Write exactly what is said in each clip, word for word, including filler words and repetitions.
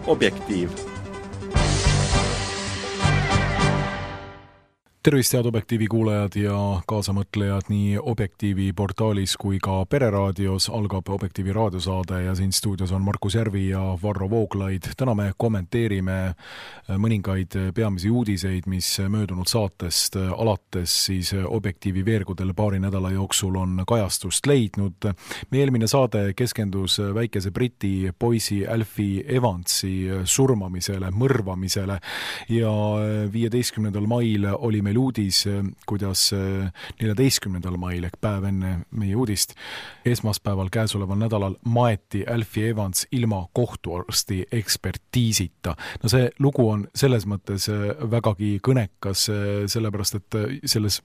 Objektiiv. Tervist, head Objektiivi kuulajad ja kaasamõtlejad nii Objektiivi portaalis kui ka Pereraadios. Algab Objektiivi raadiosaade ja siin stuudios on Markus Järvi ja Varro Vooglaid. Täna me kommenteerime mõningaid peamisi uudiseid, mis möödunud saatest alates siis Objektiivi veergudel paari nädala jooksul on kajastust leidnud. Meie eelmine saade keskendus väikese Briti poisi Alfie Evansi surmamisele, mõrvamisele ja viieteistkümnendal mail oli meil uudis, kuidas neljateistkümnendal mail ehk päev enne meie uudist esmaspäeval käesoleval nädalal maeti Alfie Evans ilma kohtuarsti ekspertiisita. No see lugu on selles mõttes vägagi kõnekas, sellepärast et selles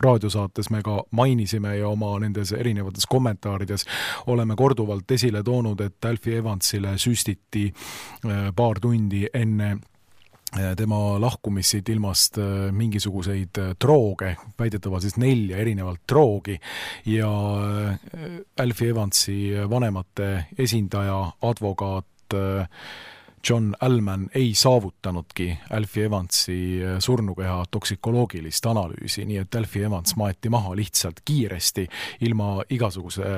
raadiosaates me ka mainisime ja oma nendes erinevates kommentaarides oleme korduvalt esile toonud, et Alfie Evansile süstiti paar tundi enne tema lahkumissid ilmast mingisuguseid drooge, väidetavalt siis nelja erinevalt droogi ja Alfie Evansi vanemate esindaja, advokaat John Allman ei saavutanudki Alfie Evansi surnukeha toksikoloogilist analüüsi, nii et Alfie Evans maeti maha lihtsalt kiiresti ilma igasuguse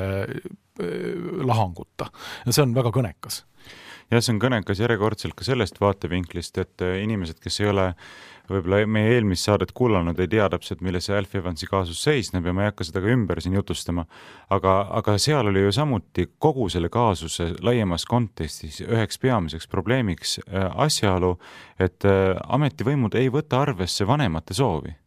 lahanguta. Ja see on väga kõnekas. Ja see on kõnekas järjekordselt ka sellest vaatevinklist, et inimesed, kes ei ole võib-olla meie eelmist saadet kuulanud, ei tea täpselt, milles see Alfie Evansi kaasus seisneb ja ma ei hakka seda ka ümber siin jutustama, aga, aga seal oli ju samuti kogu selle kaasuse laiemas kontekstis üheks peamiseks probleemiks asjaolu, et ametivõimud ei võta arvesse vanemate soovi.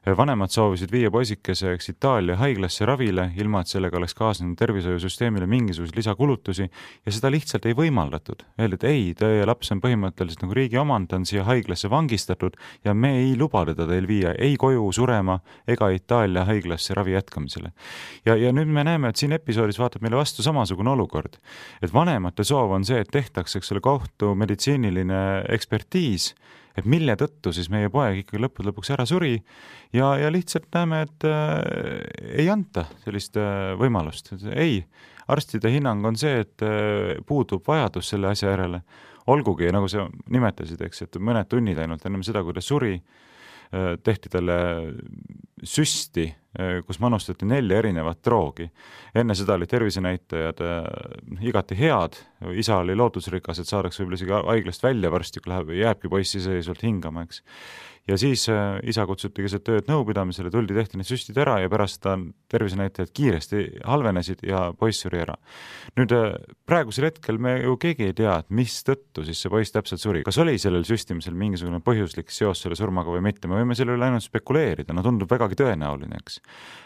Vanemad soovisid viia poisikese Itaalia haiglasse ravile, ilma et sellega oleks kaasnenud tervishoiusüsteemile mingisuguse lisakulutusi ja seda lihtsalt ei võimaldatud. Öeldi, et ei, teie laps on põhimõtteliselt nagu riigi omand, on siia haiglasse vangistatud ja me ei luba teda teil viia ei koju surema ega Itaalia haiglasse ravi jätkamisele. Ja, ja nüüd me näeme, et siin episoodis vaatab meile vastu samasugune olukord. Et vanemate soov on see, et tehtaks eks ole kohtu meditsiiniline ekspertiis, et mille tõttu siis meie poeg ikkagi lõppude lõpuks ära suri ja, ja lihtsalt näeme, et äh, ei anta sellist äh, võimalust. Ei, arstide hinnang on see, et äh, puudub vajadus selle asja järele. Olgugi, nagu sa nimetasid, eks, et mõned tunnid ainult ennem seda, kui ta suri, äh, tehti talle süsti, äh, kus manustati nelja erinevat droogi. Enne seda oli tervisenäitajad äh, igati head, isa oli lootusrikas, et saadaks võib-olla isegi haiglast välja varsti, kui läheb, jääbki poiss iseseisvalt hingama, eks. Ja siis äh, isa kutsuti keset tööd nõupidamisele, tuldi tehti need süstid ära ja pärast ta tervisenäitajad kiiresti halvenesid ja poiss suri ära. Nüüd äh, praegusel hetkel me ju keegi ei tea, et mis tõttu siis see poiss täpselt suri. Kas oli sellel süstimisel mingisugune põhjuslik seos selle surmaga või mitte? Me võime selle üle ainult spekuleerida, no tundub vägagi tõenäoline, eks.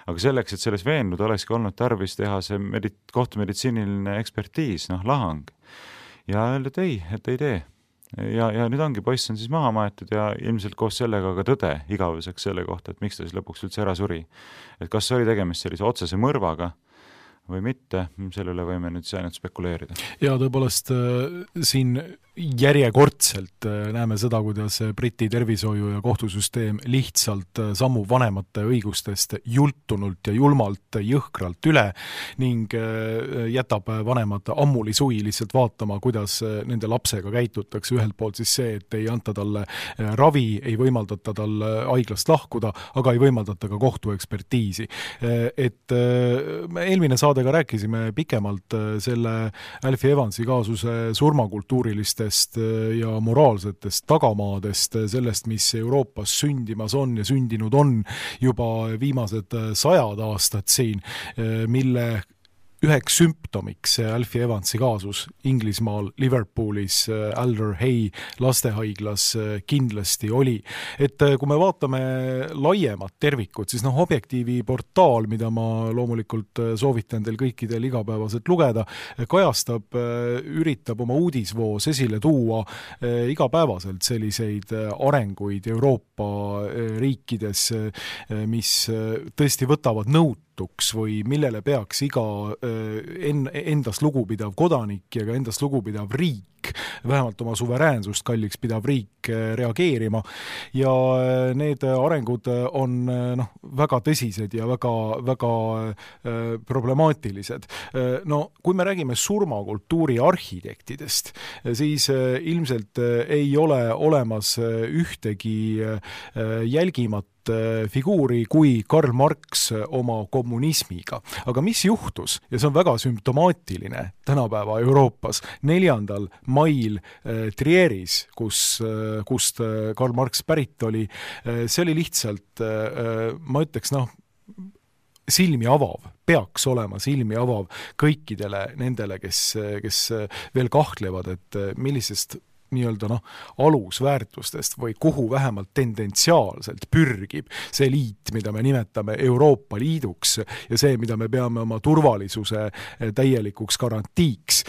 Aga selleks, et selles veenduda, olekski olnud tarvis teha see medi- kohtumeditsiiniline ekspertiis, noh, lahang. Ja öeldi, et ei, et ei tee. Ja, ja nüüd ongi poiss on siis maha maetud ja ilmselt koos sellega ka tõde igavuseks selle kohta, et miks ta siis lõpuks üldse ära suri. Et kas oli tegemist sellise otsese mõrvaga või mitte, selle üle võime nüüd ainult spekuleerida. Ja tõepoolest siin järjekordselt näeme seda, kuidas Briti tervishoiu ja kohtusüsteem lihtsalt sammu vanemate õigustest jultunult ja julmalt jõhkralt üle ning jätab vanemad ammuli suvi lihtsalt vaatama, kuidas nende lapsega käitutakse. Ühelt poolt siis see, et ei anta talle ravi, ei võimaldata talle haiglast lahkuda, aga ei võimaldata ka kohtuekspertiisi. Et me eelmine saadega rääkisime pikemalt selle Alfie Evansi kaasuse surmakultuuriliste ja moraalsetest tagamaadest, sellest, mis Euroopas sündimas on ja sündinud on juba viimased sajad aastad siin, mille üheks sümptomiks Alfie Evansi kaasus Inglismaal, Liverpoolis, Alder Hey lastehaiglas kindlasti oli. Et kui me vaatame laiemat tervikut, siis noh, Objektiivi portaal, mida ma loomulikult soovitan teil kõikidel igapäevaselt lugeda, kajastab, üritab oma uudisvoos esile tuua igapäevaselt selliseid arenguid Euroopa riikides, mis tõesti võtavad nõut kasutuks või millele peaks iga en, endast lugupidav kodanik ja ka endast lugupidav riik, vähemalt oma suveräänsust kalliks pidav riik reageerima. Ja need arengud on noh, väga tõsised ja väga, väga problemaatilised. No, kui me räägime surmakultuuri arhitektidest, siis ilmselt ei ole olemas ühtegi jälgimat figuuri kui Karl Marx oma kommunismiga. Aga mis juhtus, ja see on väga sümptomaatiline tänapäeva Euroopas, neljandal mail Trieris, kus, kust Karl Marx pärit oli, see oli lihtsalt, ma ütleks, noh, silmi avav, peaks olema silmi avav kõikidele nendele, kes, kes veel kahtlevad, et millisest nii-öelda noh, alusväärtustest või kuhu vähemalt tendentsiaalselt pürgib see liit, mida me nimetame Euroopa Liiduks ja see, mida me peame oma turvalisuse täielikuks garantiiks,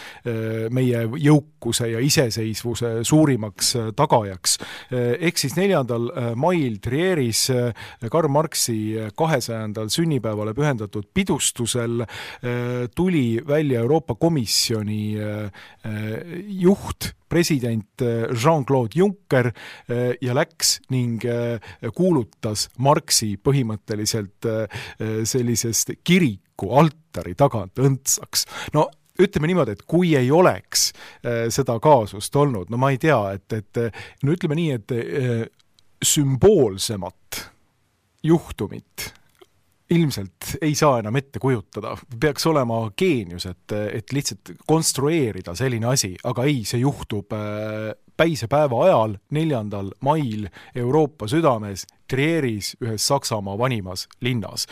meie jõukuse ja iseseisvuse suurimaks tagajaks. Ehk siis neljandal mail Trieris Karl Marxi kahesajandal sünnipäevale pühendatud pidustusel tuli välja Euroopa Komisjoni juht, president Jean-Claude Juncker ja läks ning kuulutas Marxi põhimõtteliselt sellisest kiriku altari tagant õndsaks. No ütleme niimoodi, et kui ei oleks seda kaasust olnud, no ma ei tea, et, et no ütleme nii, et sümboolsemat juhtumit ilmselt ei saa enam ette kujutada. Peaks olema geenius, et, et lihtsalt konstrueerida selline asi, aga ei, see juhtub päisepäeva ajal, neljandal mail Euroopa südames, Trieris, ühes Saksamaa vanimas linnas,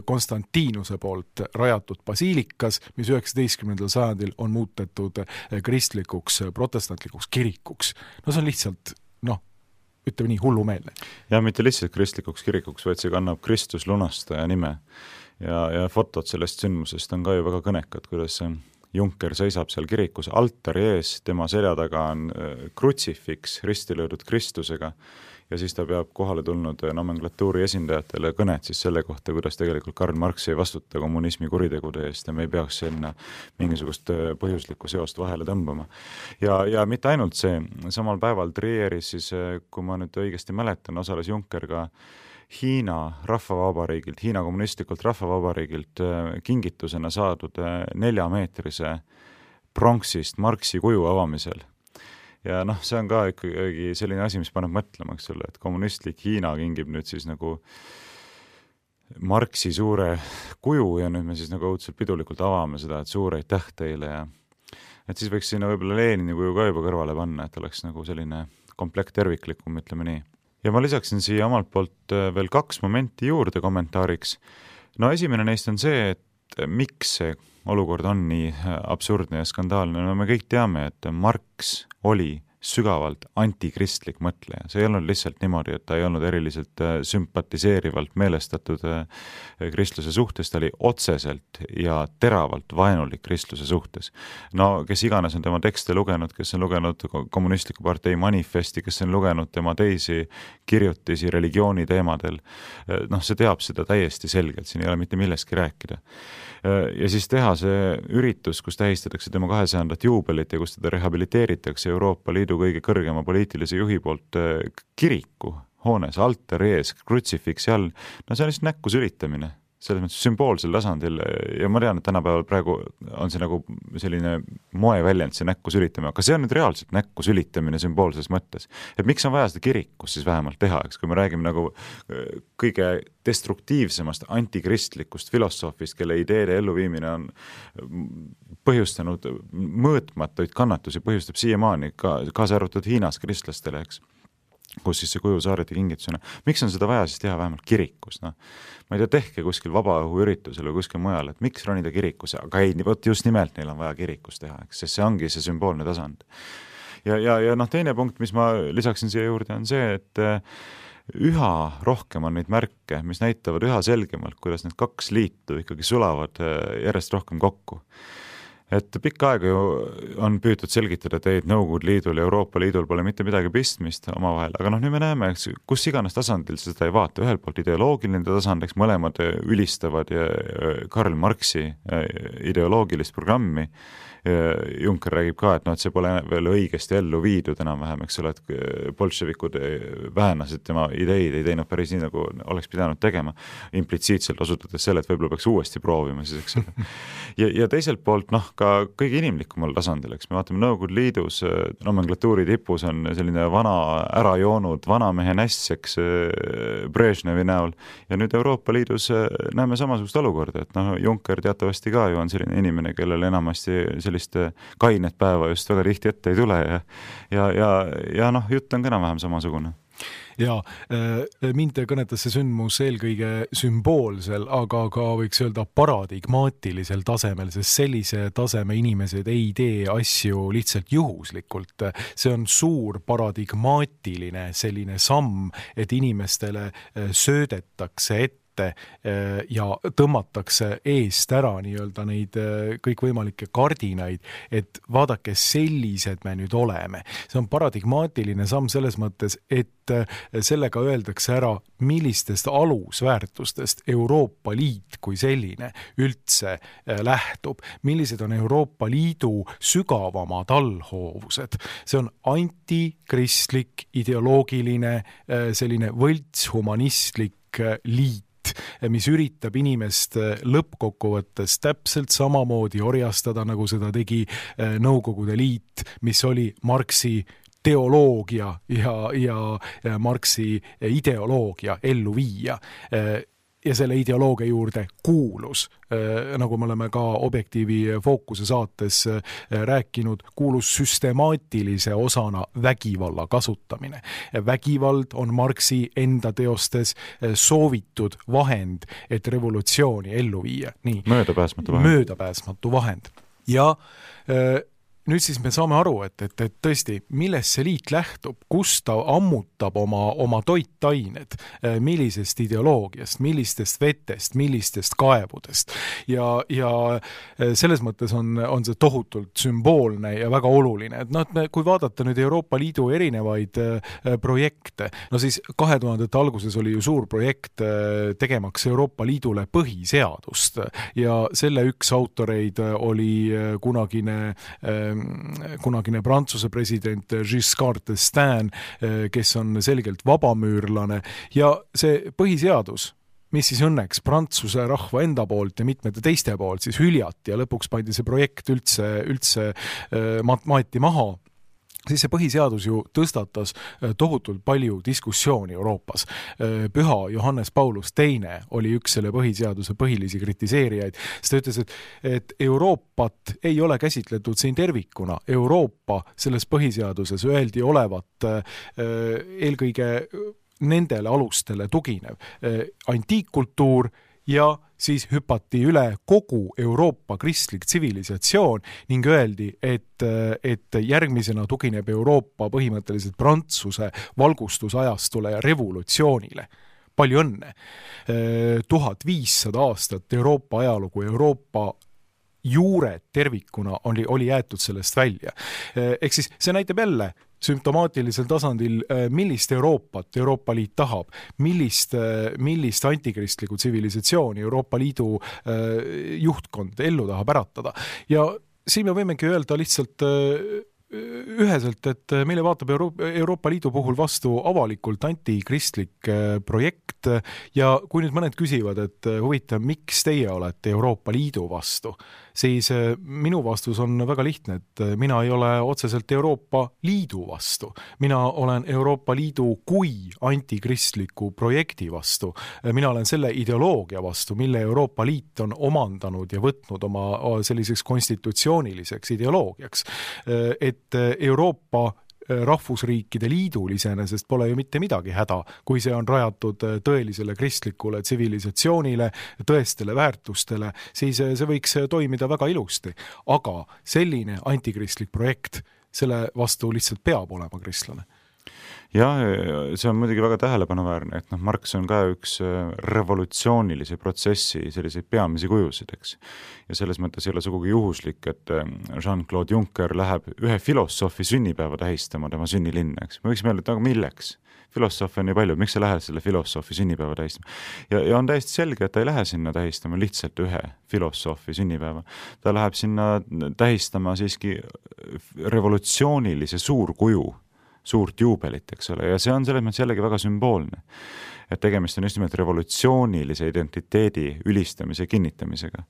Konstantinuse poolt rajatud basiilikas, mis üheksateistkümnendal sajandil on muutetud kristlikuks, protestantlikuks kirikuks. No see on lihtsalt, noh, ütleme nii, hullumeelne. Ja mitte lihtsalt kristlikuks kirikuks, vaid see kannab Kristus lunastaja nime. Ja, ja fotod sellest sündmusest on ka ju väga kõnekad, kuidas Juncker seisab seal kirikus altari ees, tema selja taga on krutsifiks risti löödud Kristusega ja siis ta peab kohale tulnud nomenklatuuri esindajatele kõnet siis selle kohta, kuidas tegelikult Karl Marx ei vastuta kommunismi kuritegude eest ja me ei peaks sinna mingisugust põhjuslikku seost vahele tõmbama. Ja, ja mitte ainult see, samal päeval Trieris siis, kui ma nüüd õigesti mäletan, osales Juncker ka Hiina rahvavabariigilt, Hiina kommunistlikult rahvavabariigilt kingitusena saadud neljameetrise pronksist Marxi kuju avamisel. Ja noh, see on ka ikkagi selline asi, mis paneb mõtlema, eks ole, et kommunistlik Hiina kingib nüüd siis nagu Marxi suure kuju ja nüüd me siis nagu õudselt pidulikult avame seda, et suur aitäh teile ja et siis võiks sinna võib-olla Lenini kuju ka juba kõrvale panna, et oleks nagu selline komplekt terviklikum, ütleme nii. Ja ma lisaksin siia omalt poolt veel kaks momenti juurde kommentaariks. No esimene neist on see, et miks see olukord on nii absurdne ja skandaalne. No me kõik teame, et Marx oli sügavalt antikristlik mõtleja. See ei olnud lihtsalt niimoodi, et ta ei olnud eriliselt sümpatiseerivalt meelestatud kristluse suhtes, ta oli otseselt ja teravalt vaenulik kristluse suhtes. No kes iganes on tema tekste lugenud, kes on lugenud kommunistliku partei manifesti, kes on lugenud tema teisi kirjutisi religiooni teemadel, noh, see teab seda täiesti selgelt, siin ei ole mitte millestki rääkida. Ja siis teha see üritus, kus tähistatakse tema kahesajandat juubelit ja kus teda rehabiliteeritakse Euroopa Liidu kõige kõrgema poliitilise juhi poolt kiriku hoones, altari ees, krutsifiksi all, no see on lihtsalt näkku sülitamine, selles mõttes sümboolsel tasandil ja ma tean, et tänapäeval praegu on see nagu selline moeväljend, see näkku sülitamine, aga see on nüüd reaalselt näkku sülitamine sümboolses mõttes. Et miks on vaja seda kirikus siis vähemalt teha, eks, kui me räägime nagu kõige destruktiivsemast antikristlikust filosoofist, kelle ideede elluviimine on põhjustanud mõõtmatuid kannatusi, põhjustab siiamaani ka, kaasa arvatud Hiinas kristlastele, eks, kus siis see kuju saareti kingitusena. Miks on seda vaja siis teha vähemalt kirikus? No, ma ei tea, tehke kuskil vabaõhuüritusel või kuskil mujal, et miks ronida kirikusse, aga ei, võt just nimelt neil on vaja kirikus teha, eks, sest see ongi see sümboolne tasand. Ja, ja, ja noh, teine punkt, mis ma lisaksin siia juurde, on see, et üha rohkem on neid märke, mis näitavad üha selgemalt, kuidas need kaks liitu ikkagi sulavad järjest rohkem kokku. et pikka aega ju on püütud selgitada, et ei, Nõukogude Liidul ja Euroopa Liidul pole mitte midagi pistmist omavahel, aga noh, nüüd me näeme, eks, kus iganes tasandil seda ei vaata, ühelt poolt ideoloogiline tasand, eks mõlemad ülistavad ja Karl Marxi ideoloogilist programmi. Juncker räägib ka, et, no, et see pole veel õigesti ellu viidud enam-vähem, eks ole, et bolševikud vähenasid tema ideid, ei teinud päris nii, nagu oleks pidanud tegema, implitsiitselt osutades selle, et võib-olla peaks uuesti proovima siis, eks ole. Ja, ja teiselt poolt, noh, ka kõige inimlikumal tasandil, eks me vaatame Nõukogude Liidus, nomenklatuuri tipus on selline vana ära joonud vanamehe näss, eks Brežnevi näol, ja nüüd Euroopa Liidus näeme samasugust olukorda, et noh, Juncker teatavasti ka ju on selline inimene, kellel enamasti sellist kainet päeva just väga tihti ette ei tule ja, ja, ja, ja noh, jutt on ka enam-vähem samasugune. Ja mind kõnetas see sündmus eelkõige sümboolsel, aga ka võiks öelda paradigmaatilisel tasemel, sest sellise taseme inimesed ei tee asju lihtsalt juhuslikult. See on suur paradigmaatiline selline samm, et inimestele söödetakse ette ja tõmmatakse eest ära nii-öelda neid kõikvõimalikke kardinaid, et vaadake, sellised me nüüd oleme. See on paradigmaatiline samm selles mõttes, et sellega öeldakse ära, millistest alusväärtustest Euroopa Liit kui selline üldse lähtub, millised on Euroopa Liidu sügavamad allhoovused. See on antikristlik, ideoloogiline, selline võltshumanistlik liit, mis üritab inimest lõppkokkuvõttes täpselt samamoodi orjastada, nagu seda tegi Nõukogude Liit, mis oli Marxi teoloogia ja, ja Marxi ideoloogia ellu viia. Ja selle ideoloogia juurde kuulus, nagu me oleme ka Objektiivi Fookuse saates rääkinud, kuulus süstemaatilise osana vägivalla kasutamine. Vägivald on Marxi enda teostes soovitud vahend, et revolutsiooni ellu viia. Nii. Möödapääsmatu vahend. Möödapääsmatu vahend. Ja nüüd siis me saame aru, et, et, et tõesti, millest see liit lähtub, kus ta ammutab oma, oma toitained, millisest ideoloogiast, millistest vetest, millistest kaevudest. Ja, ja selles mõttes on, on see tohutult sümboolne ja väga oluline. Et noh, kui vaadata nüüd Euroopa Liidu erinevaid projekte, no siis kahe tuhandete alguses oli ju suur projekt tegemaks Euroopa Liidule põhiseadust ja selle üks autoreid oli kunagine kunagine Prantsuse president Giscard d'Estaing, kes on selgelt vabamüürlane ja see põhiseadus, mis siis õnneks Prantsuse rahva enda poolt ja mitmete teiste poolt siis hüljati ja lõpuks pandi see projekt üldse, üldse maati maha, siis see põhiseadus ju tõstatas tohutult palju diskussiooni Euroopas. Püha Johannes Paulus teine oli üks selle põhiseaduse põhilisi kritiseerijaid. Sest ta ütles, et, et Euroopat ei ole käsitletud siin tervikuna. Euroopa selles põhiseaduses öeldi olevat eelkõige nendele alustele tuginev antiikkultuur ja siis hüpati üle kogu Euroopa kristlik tsivilisatsioon ning öeldi, et, et järgmisena tugineb Euroopa põhimõtteliselt Prantsuse valgustusajastule ja revolutsioonile. Palju õnne. tuhat viissada aastat Euroopa ajalugu, Euroopa juured tervikuna oli, oli jäetud sellest välja. Ehk siis see näitab jälle sümptomaatilisel tasandil, millist Euroopat Euroopa Liit tahab, millist, millist antikristlikku tsivilisatsiooni Euroopa Liidu juhtkond ellu tahab äratada. Ja siin me võimegi öelda lihtsalt üheselt, et meile vaatab Euroopa, Euroopa Liidu puhul vastu avalikult antikristlik projekt ja kui nüüd mõned küsivad, et huvitav, miks teie olete Euroopa Liidu vastu, siis minu vastus on väga lihtne, et mina ei ole otseselt Euroopa Liidu vastu. Mina olen Euroopa Liidu kui antikristliku projekti vastu. Mina olen selle ideoloogia vastu, mille Euroopa Liit on omandanud ja võtnud oma selliseks konstitutsiooniliseks ideoloogiaks. Et Euroopa rahvusriikide liidul iseenesest pole ju mitte midagi häda, kui see on rajatud tõelisele kristlikule tsivilisatsioonile, tõestele väärtustele, siis see võiks toimida väga ilusti. Aga selline antikristlik projekt, selle vastu lihtsalt peab olema kristlane. jah, see on muidugi väga tähelepanuväärne, et noh, Marx on ka üks revolutsioonilise protsessi selliseid peamisi kujusid, eks. Ja selles mõttes ei ole sugugi juhuslik, et Jean-Claude Juncker läheb ühe filosoofi sünnipäeva tähistama tema sünnilinna, eks. Me võiks meelde, et aga milleks? Filosoofi on nii palju, miks sa lähed selle filosoofi sünnipäeva tähistama? Ja, ja on täiesti selge, et ta ei lähe sinna tähistama lihtsalt ühe filosoofi sünnipäeva. Ta läheb sinna tähistama siiski revolutsioonilise suurkuju, suurt juubelit, eks ole, ja see on selles mõttes jällegi väga sümboolne. Et tegemist on just nimelt revolutsioonilise identiteedi ülistamise kinnitamisega.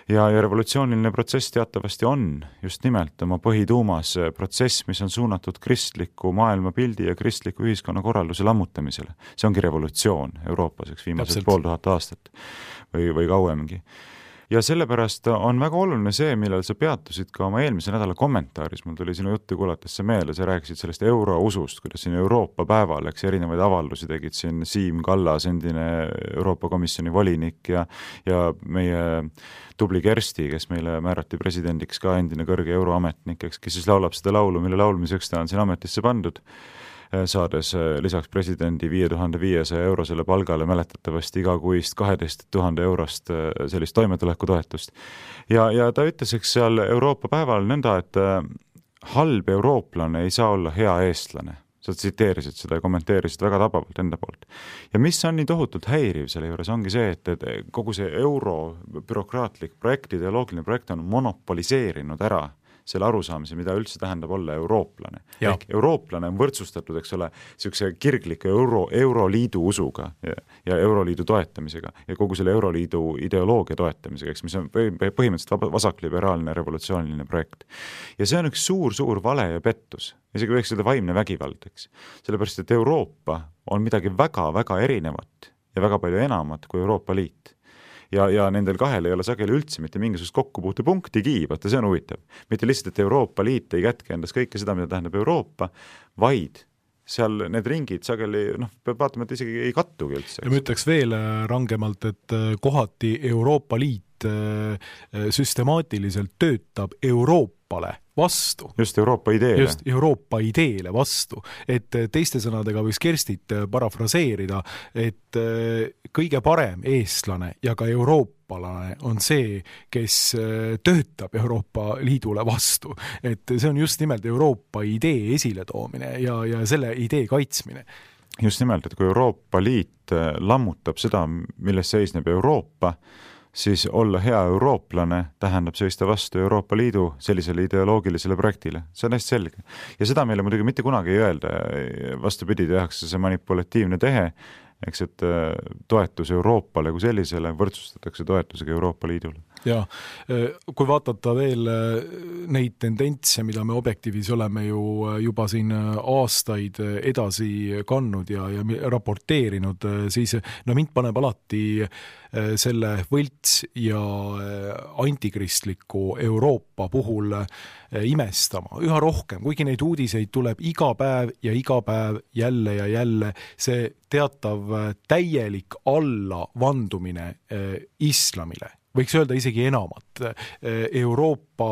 Ja, ja revolutsiooniline protsess teatavasti on just nimelt oma põhituumas protsess, mis on suunatud kristliku maailmapildi ja kristliku ühiskonnakorralduse lammutamisele. See ongi revolutsioon Euroopas, eks viimased pool tuhat aastat või, või kauemgi. Ja sellepärast on väga oluline see, millal sa peatusid ka oma eelmise nädala kommentaaris. Mul tuli sinu juttu kuulates see meelde, sa rääkisid sellest eurousust, kuidas siin Euroopa päeval, eks erinevaid avaldusi tegid siin Siim Kallas, endine Euroopa Komisjoni volinik ja, ja meie tubli Kersti, kes meile määrati presidendiks ka endine kõrge euroametnik, eks, kes siis laulab seda laulu, mille laulmiseks ta on siin ametisse pandud, saades lisaks presidendi viie tuhande viiesaja eurosele palgale mäletatavasti igakuist kaheteist tuhande eurost sellist toimetulekutoetust. Ja, ja ta ütles, eks seal Euroopa päeval nõnda, et halb eurooplane ei saa olla hea eestlane. Sa tsiteerisid seda ja kommenteerisid väga tabavalt enda poolt. Ja mis on nii tohutult häiriv selle juures, ongi see, et, et kogu see euro bürokraatlik projekt, ideoloogiline projekt on monopoliseerinud ära selle arusaamise, mida üldse tähendab olla eurooplane. Ehk eurooplane on võrdsustatud, eks ole, siukse kirgliku euro, euroliidu usuga ja, ja euroliidu toetamisega ja kogu selle euroliidu ideoloogia toetamisega, eks, mis on põhimõtteliselt vasakliberaalne revolutsiooniline projekt. Ja see on üks suur-suur vale ja pettus. Isegi võiks öelda vaimne vägivald, eks. Sellepärast, et Euroopa on midagi väga-väga erinevat ja väga palju enamat kui Euroopa Liit. Ja, ja nendel kahel ei ole sageli üldse mitte mingisugust kokkupuutepunktigi, vaata see on huvitav. Mitte lihtsalt, et Euroopa Liit ei kätke endas kõike seda, mida tähendab Euroopa, vaid seal need ringid sageli, noh, peab vaatama, et isegi ei kattugi üldse. Ja ma ütleks veel rangemalt, et kohati Euroopa Liit süstemaatiliselt töötab Euroopale vastu. Just Euroopa ideele. Just Euroopa ideele vastu. Et teiste sõnadega võiks Kerstit parafraseerida, et kõige parem eestlane ja ka euroopalane on see, kes töötab Euroopa Liidule vastu. Et see on just nimelt Euroopa idee esiletoomine ja, ja selle idee kaitsmine. Just nimelt, et kui Euroopa Liit lammutab seda, milles seisneb Euroopa, siis olla hea eurooplane tähendab seista vastu Euroopa Liidu sellisele ideoloogilisele projektile. See on hästi selge. Ja seda meile muidugi mitte kunagi ei öelda. Vastupidi, tehakse see manipulatiivne tehe, eks, et toetus Euroopale kui sellisele võrdsustatakse toetusega Euroopa Liidule. Ja kui vaatata veel neid tendentse, mida me Objektiivis oleme ju juba siin aastaid edasi kannud ja, ja raporteerinud, siis no mind paneb alati selle võlts ja antikristliku Euroopa puhul imestama. Üha rohkem, kuigi neid uudiseid tuleb iga päev ja iga päev jälle ja jälle, see teatav täielik allavandumine islamile. Võiks öelda isegi enamat. Euroopa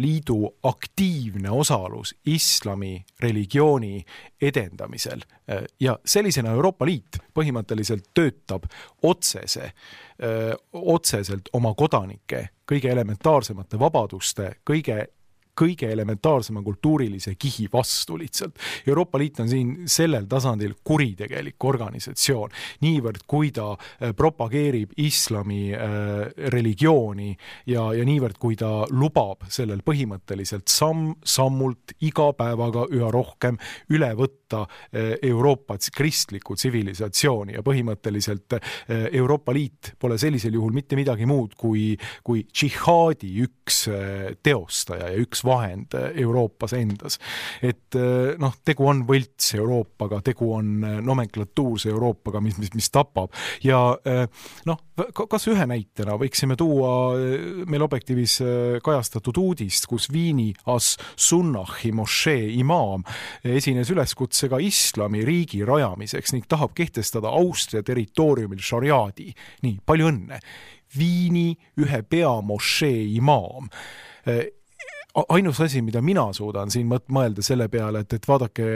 Liidu aktiivne osalus islami religiooni edendamisel. Ja sellisena Euroopa Liit põhimõtteliselt töötab otsese, otseselt oma kodanike kõige elementaarsemate vabaduste, kõige kõige elementaarsema kultuurilise kihi vastu lihtsalt. Euroopa Liit on siin sellel tasandil kuritegelik organisatsioon. Niivõrd, kui ta propageerib islami äh, religiooni ja, ja niivõrd, kui ta lubab sellel põhimõtteliselt samm, sammult iga päevaga üha rohkem üle võtta äh, Euroopa kristlikku tsivilisatsiooni ja põhimõtteliselt äh, Euroopa Liit pole sellisel juhul mitte midagi muud kui, kui džihaadi üks äh, teostaja ja üks vahend Euroopas endas. Et noh, tegu on võlts Euroopaga, tegu on nomenklatuurse Euroopaga, mis, mis, mis tapab. Ja noh, kas ühe näitena võiksime tuua meil Objektiivis kajastatud uudist, kus Viini as-Sunnahi mošee imaam esines üleskutsega islami riigi rajamiseks ning tahab kehtestada Austria territooriumil šariaadi. Nii, palju õnne. Viini ühe pea mošee imaam ainus asi, mida mina suudan siin mõelda selle peale, et, et vaadake,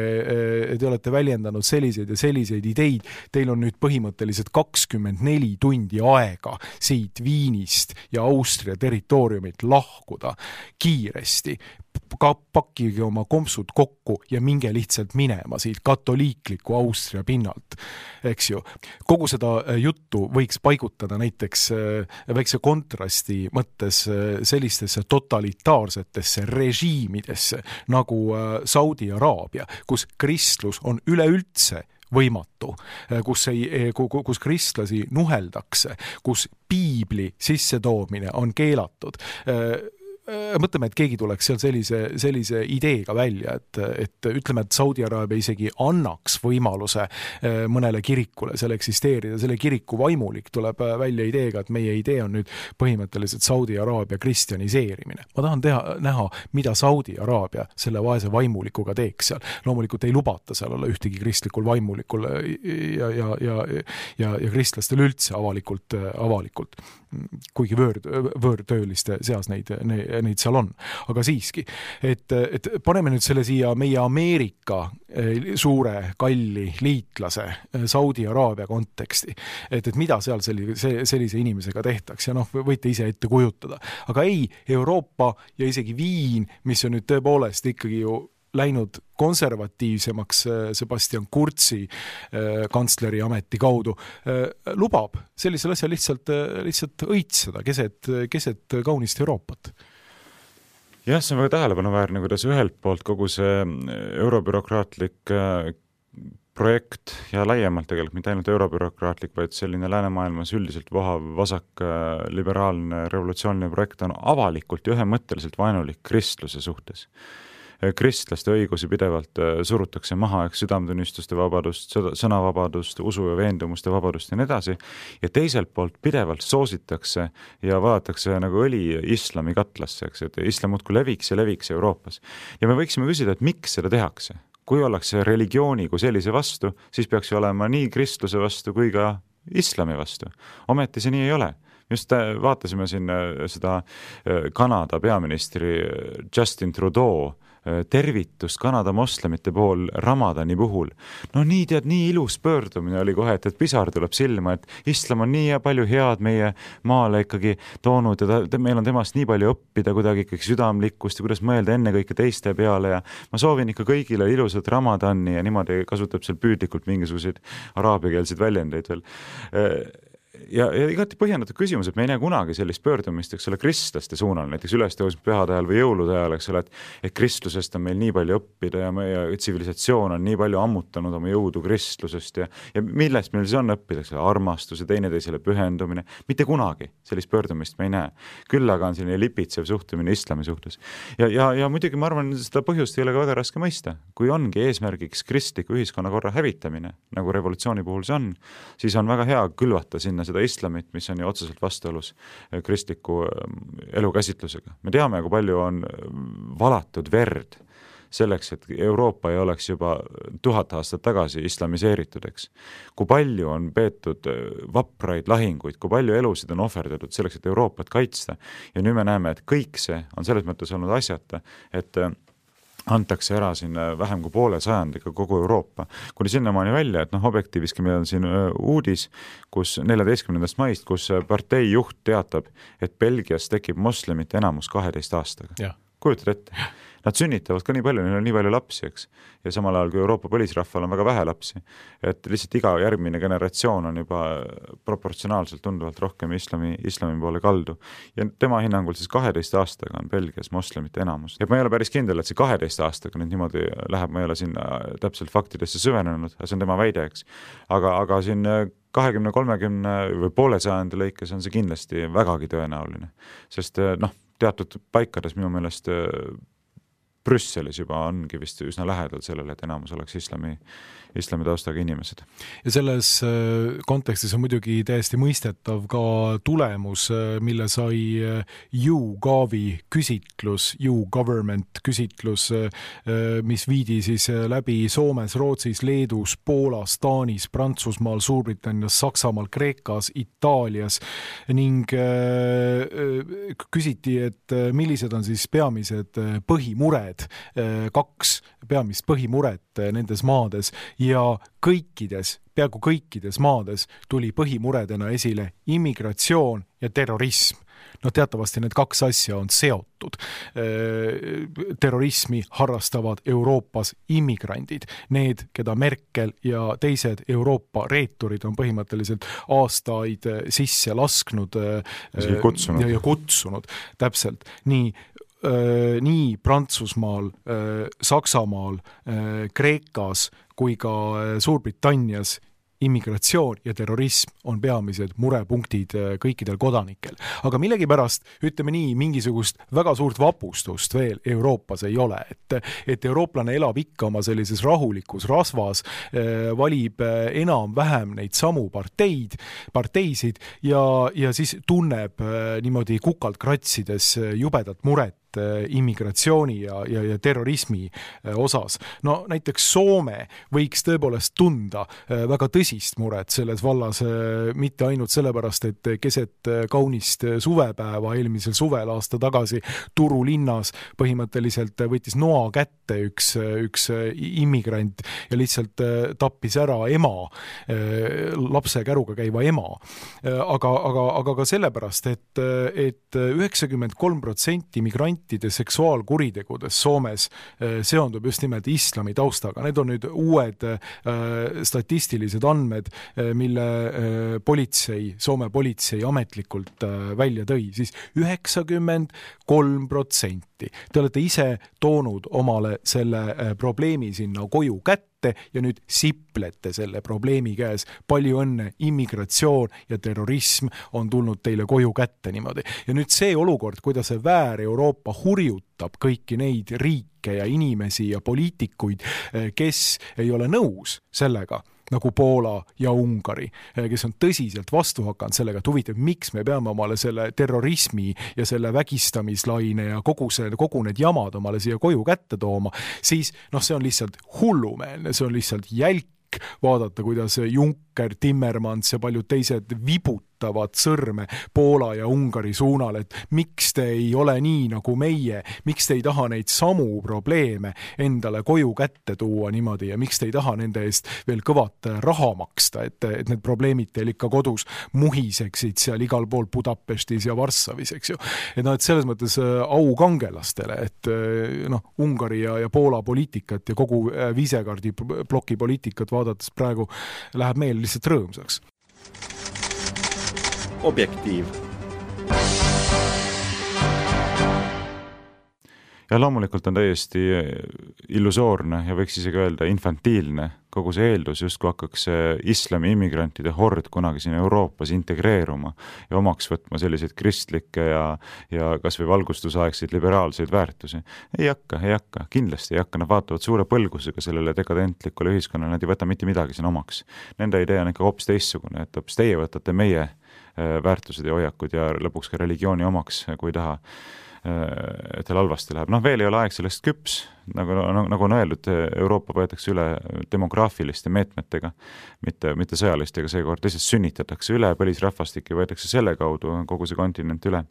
te olete väljendanud selliseid ja selliseid ideid, teil on nüüd põhimõtteliselt kakskümmend neli tundi aega siit Viinist ja Austria territooriumit lahkuda kiiresti. Ka pakkige oma kompsud kokku ja minge lihtsalt minema siit katoliikliku Austria pinnalt, eks ju. Kogu seda juttu võiks paigutada näiteks väikse kontrasti mõttes sellistesse totalitaarsetesse režiimidesse nagu Saudi Araabia, kus kristlus on üleüldse võimatu, kus, ei, kus kristlasi nuheldakse, kus piibli sissetoomine on keelatud. Mõtleme, et keegi tuleks seal sellise, sellise ideega välja, et, et ütleme, et Saudi Araabia isegi annaks võimaluse mõnele kirikule seal eksisteerida. Selle kiriku vaimulik tuleb välja ideega, et meie idee on nüüd põhimõtteliselt Saudi Araabia kristjaniseerimine. Ma tahan teha, näha, mida Saudi Araabia selle vaese vaimulikuga teeks seal. Loomulikult ei lubata seal olla ühtegi kristlikul vaimulikul ja, ja, ja, ja, ja kristlastel üldse avalikult, avalikult. Kuigi võõr, võõrtööliste seas neid, neid seal on. Aga siiski, et, et paneme nüüd selle siia meie Ameerika suure kalli liitlase Saudi Araabia konteksti, et, et mida seal sellise, sellise inimesega tehtaks ja noh, võite ise ette kujutada. Aga ei, Euroopa ja isegi Viin, mis on nüüd tõepoolest ikkagi ju läinud konservatiivsemaks Sebastian Kurzi kantsleri ameti kaudu, lubab sellisel asjal lihtsalt, lihtsalt õitseda keset, keset kaunist Euroopat. Jah, see on väga tähelepanuväärne, kuidas ühelt poolt kogu see eurobürokraatlik projekt ja laiemalt tegelikult mitte ainult eurobürokraatlik, vaid selline läänemaailmas üldiselt vohav vasak liberaalne revolutsiooniline projekt on avalikult ja ühemõtteliselt vaenulik kristluse suhtes. Kristlaste õigusi pidevalt surutakse maha, eks südametunnistuste vabadust, sõnavabadust, usu ja veendumuste vabadust ja nii edasi. Ja teiselt poolt pidevalt soositakse ja vaadatakse nagu õli islami katlasse, eks, et islam muudkui leviks ja leviks Euroopas. Ja me võiksime küsida, et miks seda tehakse? Kui ollakse religiooni kui sellise vastu, siis peaks ju olema nii kristluse vastu kui ka islami vastu. Ometi see nii ei ole. Just vaatasime siin seda Kanada peaministri Justin Trudeau tervitust Kanada moslemite pool Ramadani puhul. No nii tead, nii ilus pöördumine oli kohe, et, et pisar tuleb silma, et islam on nii ja palju head meie maale ikkagi toonud ja ta, meil on temast nii palju õppida kuidagi ikkagi südamlikkust ja kuidas mõelda enne kõike teiste peale ja ma soovin ikka kõigile ilusat Ramadani ja niimoodi kasutab seal püüdlikult mingisuguseid araabiakeelseid väljendeid veel. Ja, ja igati põhjendatud küsimus, et me ei näe kunagi sellist pöördumist, eks ole, kristlaste suunal, näiteks ülestõusmispühade ajal või jõulude ajal, eks ole, et, et kristlusest on meil nii palju õppida ja meie tsivilisatsioon on nii palju ammutanud oma jõudu kristlusest ja, ja millest meil siis on õppida, eks ole, armastus ja teineteisele pühendumine. Mitte kunagi sellist pöördumist me ei näe. Küll aga on selline lipitsev suhtumine islami suhtes. Ja, ja, ja muidugi ma arvan, seda põhjust ei ole ka väga raske mõista. Kui ongi eesmärgiks kristliku ühiskonnakorra hävitamine, nagu revolutsiooni puhul see on, siis on väga hea külvata sinna seda islamit, mis on ju otseselt vastuolus kristliku elukäsitlusega. Me teame, kui palju on valatud verd selleks, et Euroopa ei oleks juba tuhat aastat tagasi islamiseeritud, eks. Kui palju on peetud vapraid lahinguid, kui palju elusid on ohverdatud selleks, et Euroopat kaitsta. Ja nüüd me näeme, et kõik see on selles mõttes olnud asjata, et antakse ära siin vähem kui poole sajandiga kogu Euroopa. Kuni sinnamaani välja, et noh, objektiiviski meil on siin uudis, kus neljateistkümnendast maist, kus partei juht teatab, et Belgias tekib moslemite enamus kaheteist aastaga. Ja. Kujutad ette? Nad sünnitavad ka nii palju, neil on nii palju lapsi, eks. Ja samal ajal kui Euroopa põlisrahval on väga vähe lapsi, et lihtsalt iga järgmine generatsioon on juba proportsionaalselt tunduvalt rohkem islami, islami poole kaldu. Ja tema hinnangul siis kaheteist aastaga on Belgias moslemite enamus. Ja ma ei ole päris kindel, et see kaheteist aastaga nüüd niimoodi läheb, ma ei ole sinna täpselt faktidesse süvenenud, see on tema väide, eks. Aga, aga siin kahekümne kolmekümne või poole sajandi lõikes on see kindlasti vägagi tõenäoline. Sest noh, teatud paikades minu meelest Brüsselis juba ongi vist üsna lähedal sellele, et enamus oleks islami, islami taustaga inimesed. Ja selles kontekstis on muidugi täiesti mõistetav ka tulemus, mille sai YouGovi küsitlus, YouGovernment küsitlus, mis viidi siis läbi Soomes, Rootsis, Leedus, Poolas, Taanis, Prantsusmaal, Suurbritannias, Saksamaal, Kreekas, Itaalias ning küsiti, et millised on siis peamised põhimured, kaks peamist põhimuret nendes maades ja kõikides, peaaegu kõikides maades tuli põhimuredena esile immigratsioon ja terrorism. No teatavasti need kaks asja on seotud. Terrorismi harrastavad Euroopas immigrandid. Need, keda Merkel ja teised Euroopa reeturid on põhimõtteliselt aastaid sisse lasknud kutsunud. ja, ja kutsunud. Täpselt. Nii nii Prantsusmaal, Saksamaal, Kreekas kui ka Suurbritannias immigratsioon ja terrorism on peamised murepunktid kõikidel kodanikel. Aga millegipärast, ütleme nii, mingisugust väga suurt vapustust veel Euroopas ei ole. Et, et eurooplane elab ikka oma sellises rahulikus rasvas, valib enam-vähem neid samu parteid, parteisid ja, ja siis tunneb niimoodi kukalt kratsides jubedat muret immigratsiooni ja, ja, ja terrorismi osas. No näiteks Soome võiks tõepoolest tunda väga tõsist muret selles vallas, mitte ainult sellepärast, et keset kaunist suvepäeva eelmisel suvel aasta tagasi Turu linnas põhimõtteliselt võttis noa kätte üks, üks immigrant ja lihtsalt tappis ära ema, lapse käruga käiva ema. Aga, aga, aga ka sellepärast, et, et üheksakümmend kolm protsenti migranti seksuaalkuritegudes Soomes seondub just nimelt islami taustaga. Need on nüüd uued statistilised andmed, mille politsei, Soome politsei ametlikult välja tõi, siis üheksakümmend kolm protsenti. Te olete ise toonud omale selle probleemi sinna koju kätte ja nüüd siplete selle probleemi käes. Palju õnne, immigratsioon ja terrorism on tulnud teile koju kätte niimoodi. Ja nüüd see olukord, kuidas see väär Euroopa hurjutab kõiki neid riike ja inimesi ja poliitikuid, kes ei ole nõus sellega, nagu Poola ja Ungari, kes on tõsiselt vastu hakanud sellega, et huvitav, miks me peame omale selle terrorismi ja selle vägistamislaine ja kogu, see, kogu need jamad omale siia koju kätte tooma, siis noh, see on lihtsalt hullumeelne, see on lihtsalt jälk vaadata, kuidas Juncker, Timmermans ja paljud teised vibutavad sõrme Poola ja Ungari suunal, et miks te ei ole nii nagu meie, miks te ei taha neid samu probleeme endale koju kätte tuua niimoodi ja miks te ei taha nende eest veel kõvat raha maksta, et, et need probleemid teil ikka kodus muhiseksid seal igal pool Budapestis ja Varssavis, eks ju. Et no, et selles mõttes au kangelastele, et noh, Ungari ja, ja Poola poliitikat ja kogu Visegradi ploki poliitikat vaadates praegu läheb meil lihtsalt rõõmsaks. Objektiiv. Ja loomulikult on täiesti illusoorne ja võiks isegi öelda infantiilne kogu see eeldus, just kui hakkaks islami immigrantide hord kunagi siin Euroopas integreeruma ja omaks võtma selliseid kristlikke ja, ja kas või valgustusaegseid liberaalseid väärtusi. Ei hakka, ei hakka, kindlasti ei hakka, nad vaatavad suure põlgusega sellele dekadentlikule ühiskonnale, nad ei võta mitte midagi siin omaks. Nende idee on ikka hoopis teistsugune, et hoopis teie võtate meie väärtused ja hoiakud ja lõpuks ka religiooni omaks, kui taha, et teil halvasti läheb. Noh, veel ei ole aeg sellest küps, nagu, nagu on öeldud, Euroopa võetakse üle demograafiliste meetmetega, mitte, mitte sõjalistega seekord, lihtsalt sünnitatakse üle, põlisrahvastik ja võetakse selle kaudu kogu see kontinent üle.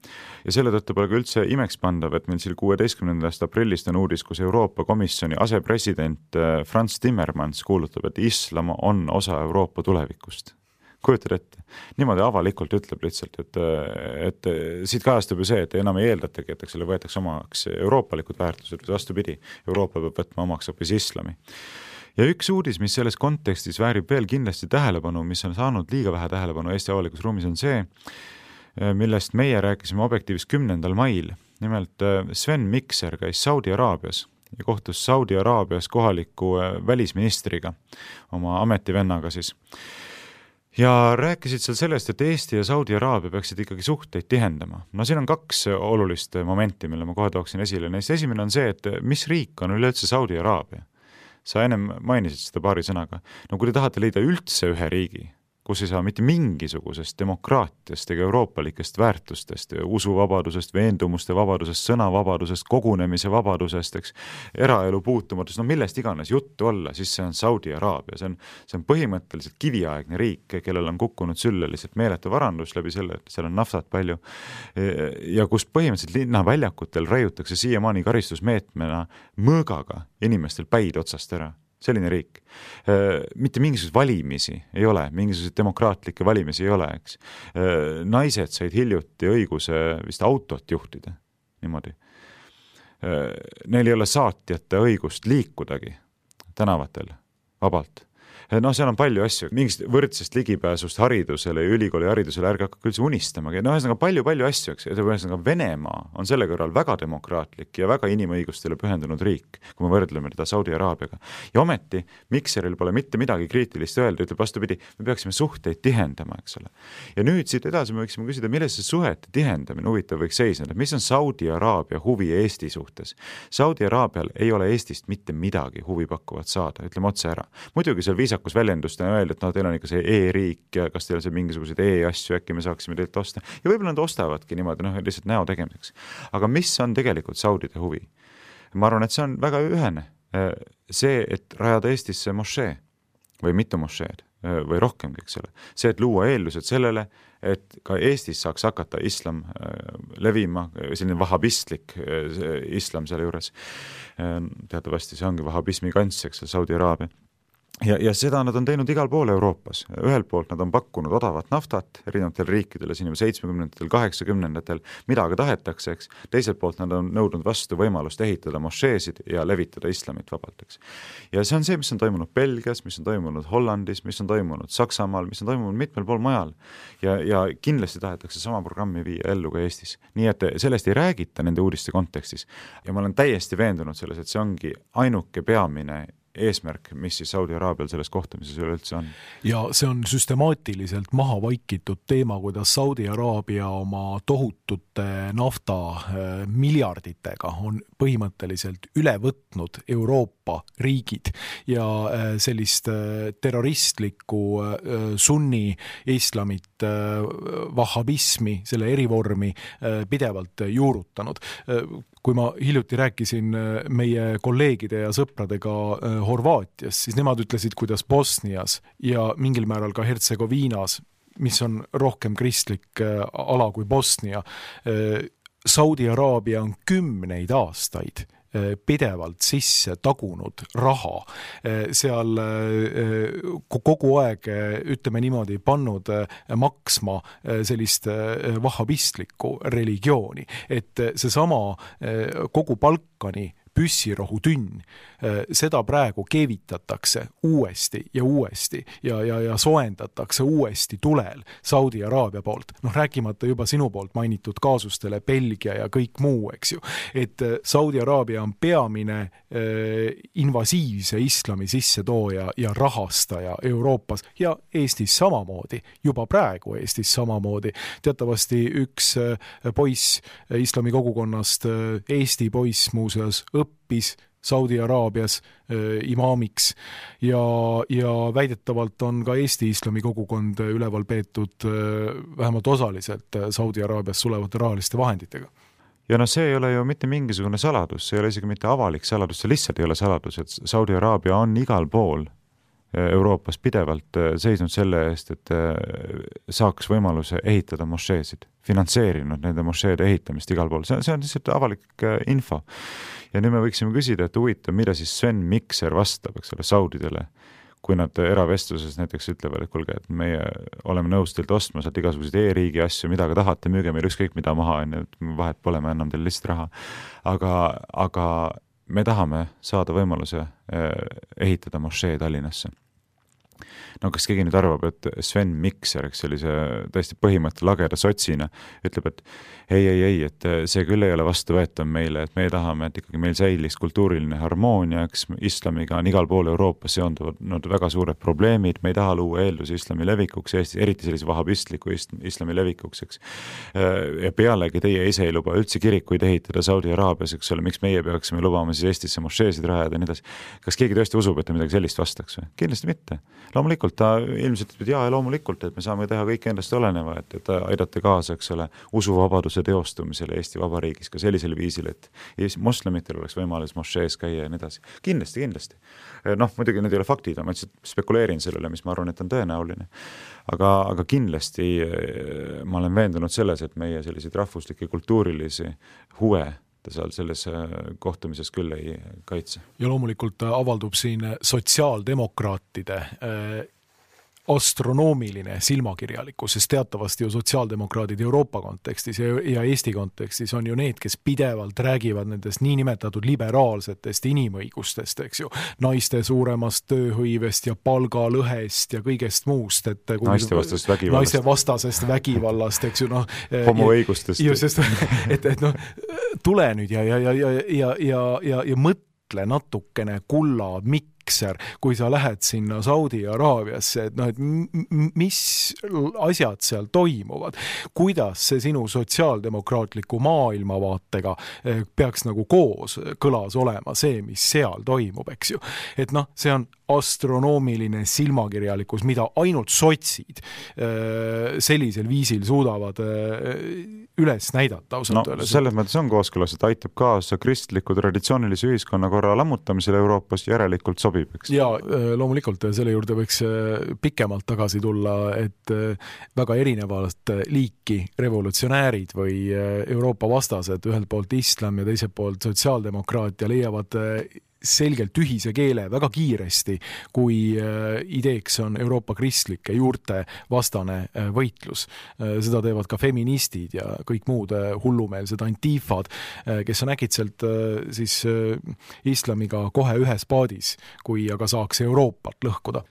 Ja selle tõttu pole ka üldse imeks pandav, et meil siin kuueteistkümnendast aprillist on uudis, kus Euroopa Komisjoni asepresident Frans Timmermans kuulutab, et islam on osa Euroopa tulevikust. Kujutad ette. Niimoodi avalikult ütleb lihtsalt, et, et siit kajastub ju see, et enam ei eeldatagi, et selle võetakse omaks euroopalikud väärtused, vastupidi, Euroopa peab võtma omaks hoopis islami. Ja üks uudis, mis selles kontekstis väärib veel kindlasti tähelepanu, mis on saanud liiga vähe tähelepanu Eesti avalikus ruumis, on see, millest meie rääkisime Objektiivis kümnendal mail. Nimelt Sven Mikser käis Saudi Araabias ja kohtus Saudi Araabias kohaliku välisministriga, oma ametivennaga siis. ja rääkisid seal sellest, et Eesti ja Saudi Araabia peaksid ikkagi suhteid tihendama. No siin on kaks olulist momenti, mille ma kohe tooksin esile. Neist esimene on see, et mis riik on üleüldse Saudi Araabia? Sa ennem mainisid seda paari sõnaga. No kui te tahate leida üldse ühe riigi, kus ei saa mitte mingisugusest demokraatiast ega euroopalikest väärtustest, usuvabadusest, veendumuste vabadusest, sõnavabadusest, kogunemise vabadusest, eks, eraelu puutumatust, no millest iganes juttu olla, siis see on Saudi Araabia. See on, see on põhimõtteliselt kiviaegne riik, kellel on kukkunud sülle lihtsalt meeletu varandus läbi selle, et seal on naftat palju ja kus põhimõtteliselt linnaväljakutel raiutakse siiamaani karistusmeetmena mõõgaga inimestel päid otsast ära. Selline riik. Mitte mingisuguseid valimisi ei ole, mingisuguseid demokraatlikke valimisi ei ole, eks. Naised said hiljuti õiguse vist autot juhtida, niimoodi. Neil ei ole saatjate õigust liikudagi tänavatel vabalt. No seal on palju asju, mingist võrdsest ligipääsust haridusele ja ülikooli haridusele ärge hakka üldse unistamagi. No ühesõnaga palju, palju asju, eks. Ühesõnaga Venemaa on selle kõrval väga demokraatlik ja väga inimõigustele pühendunud riik, kui me võrdleme teda Saudi Araabiaga. Ja ometi Mikseril pole mitte midagi kriitilist öelda, ütleb vastupidi, me peaksime suhteid tihendama, eks ole. Ja nüüd siit edasi me võiksime küsida, milles see suhete tihendamine huvitav võiks seisneda, mis on Saudi Araabia huvi Eesti suhtes. Saudi Araabial ei ole Eestist mitte midagi huvi pakkuvat saada, ütleme otse ära. Muidugi seal viisakus väljendust on öelda, et no, teil on ikka see e-riik ja kas teil on see mingisuguseid e-asju, äkki me saaksime teilt osta. Ja võib-olla nad ostavadki niimoodi, noh, lihtsalt näo tegemiseks. Aga mis on tegelikult Saudide huvi? Ma arvan, et see on väga ühene. See, et rajada Eestisse mošee või mitu mošeed või rohkemgi, eks ole. See, et luua eeldused sellele, et ka Eestis saaks hakata islam levima, selline vahabistlik islam selle juures. Teatavasti see ongi vahabismi kants, eks ole, Saudi Araabia. Ja, ja seda nad on teinud igal pool Euroopas. Ühelt poolt nad on pakkunud odavat naftat erinevatel riikidele siin seitsmekümnendatel, kaheksakümnendatel, mida aga tahetakse, eks. Teiselt poolt nad on nõudnud vastu võimalust ehitada mošeesid ja levitada islamit vabalt, eks. Ja see on see, mis on toimunud Belgias, mis on toimunud Hollandis, mis on toimunud Saksamaal, mis on toimunud mitmel pool majal. Ja, ja kindlasti tahetakse sama programmi viia ellu ka Eestis. Nii et sellest ei räägita nende uudiste kontekstis. Ja ma olen täiesti veendunud selles, et see ongi ainuke peamine eesmärk, mis siis Saudi Araabial selles kohtumises üleüldse on. Ja see on süstemaatiliselt maha vaikitud teema, kuidas Saudi Araabia oma tohutute nafta miljarditega on põhimõtteliselt üle võtnud Euroopa riigid ja sellist terroristlikku sunni islamit, vahabismi, selle erivormi pidevalt juurutanud. Kui ma hiljuti rääkisin meie kolleegide ja sõpradega Horvaatias, siis nemad ütlesid, kuidas Bosnias ja mingil määral ka Hertsegoviinas, mis on rohkem kristlik ala kui Bosnia, Saudi Araabia on kümneid aastaid pidevalt sisse tagunud raha. Seal kogu aeg, ütleme niimoodi, pannud maksma sellist vahabistlikku religiooni. Et seesama kogu Balkani püssirohutünn, seda praegu keevitatakse uuesti ja uuesti ja, ja, ja soendatakse uuesti tulel Saudi Araabia poolt. Noh, rääkimata juba sinu poolt mainitud kaasustele Belgia ja kõik muu, eks ju. Et Saudi Araabia on peamine eh, invasiivse islami sissetooja ja rahastaja Euroopas ja Eestis samamoodi, juba praegu Eestis samamoodi. Teatavasti üks poiss islami kogukonnast, Eesti poiss muuseas, õppis Saudi Araabias äh, imaamiks ja, ja väidetavalt on ka Eesti islami kogukond üleval peetud äh, vähemalt osaliselt Saudi Araabias sulevate rahaliste vahenditega. Ja no see ei ole ju mitte mingisugune saladus, see ei ole isegi mitte avalik saladus, see lihtsalt ei ole saladus, et Saudi Araabia on igal pool Euroopas pidevalt seisnud selle eest, et saaks võimaluse ehitada mošeesid, finantseerinud nende mošeede ehitamist igal pool. See, see on lihtsalt avalik info. Ja nüüd me võiksime küsida, et huvitav, mida siis Sven Mikser vastab, eks ole, saudidele, kui nad eravestluses näiteks ütlevad, et kuulge, et meie oleme nõus teilt ostma sealt igasuguseid e-riigi asju, mida ka tahate, müüge meil ükskõik mida maha, et vahet pole, me anname teile lihtsalt raha. Aga, aga me tahame saada võimaluse ehitada mošee Tallinnasse. no kas keegi nüüd arvab, et Sven Mikser, eks sellise tõesti põhimõtte lageda sotsina, ütleb, et ei, ei, ei, et see küll ei ole vastuvõetav meile, et me tahame, et ikkagi meil säiliks kultuuriline harmoonia, eks islamiga on igal pool Euroopas seonduvad no, väga suured probleemid, me ei taha luua eeldusi islami levikuks, Eestis, eriti sellise vahabistliku islami levikuks, eks. Ja pealegi teie ise ei luba üldse kirikuid ehitada Saudi Araabias, eks ole, miks meie peaksime lubama siis Eestisse mošeesid rajada ja nii edasi. Kas keegi tõesti usub, et ta midagi sellist vastaks või? Kindlasti mitte. Loomulikult ta ilmselt ütleb, jaa, loomulikult, et me saame teha kõik endast oleneva, et, et aidata kaasa, eks ole, usuvabaduse teostumisele Eesti Vabariigis ka sellisel viisil, et moslemitel oleks võimalus mošees käia ja nii edasi. Kindlasti, kindlasti. Noh, muidugi need ei ole faktid, ma spekuleerin sellele, mis ma arvan, et on tõenäoline. Aga, aga kindlasti ma olen veendunud selles, et meie selliseid rahvuslikke kultuurilisi huve ta seal selles kohtumises küll ei kaitse. Ja loomulikult avaldub siin sotsiaaldemokraatide astronoomiline silmakirjalikkus, sest teatavasti ju sotsiaaldemokraadid Euroopa kontekstis ja Eesti kontekstis on ju need, kes pidevalt räägivad nendest niinimetatud liberaalsetest inimõigustest, eks ju, naiste suuremast tööhõivest ja palgalõhest ja kõigest muust, et naiste vastasest vägivallast, naiste vastasest vägivallast, eks ju, noh, homoõigustest. Ju, sest, et, et noh, tule nüüd ja, ja, ja, ja, ja, ja, ja, ja mõtle natukene kulla mikk, kui sa lähed sinna Saudi Araabiasse, et noh, et mis asjad seal toimuvad, kuidas see sinu sotsiaaldemokraatliku maailmavaatega peaks nagu koos kõlas olema see, mis seal toimub, eks ju. Et noh, see on astronoomiline silmakirjalikkus, mida ainult sotsid sellisel viisil suudavad üles näidata. No, selles mõttes on kooskõlas, et aitab kaasa kristliku traditsioonilise ühiskonnakorra lammutamisele Euroopas, järelikult sobib, eks? Ja loomulikult selle juurde võiks pikemalt tagasi tulla, et väga erinevalt liiki revolutsionäärid või Euroopa vastased, ühelt poolt islam ja teiselt poolt sotsiaaldemokraatia leiavad selgelt ühise keele väga kiiresti, kui ideeks on Euroopa kristlike juurte vastane võitlus. Seda teevad ka feministid ja kõik muud hullumeelsed antifad, kes on äkitselt siis islamiga kohe ühes paadis, kui aga saaks Euroopat lõhkuda.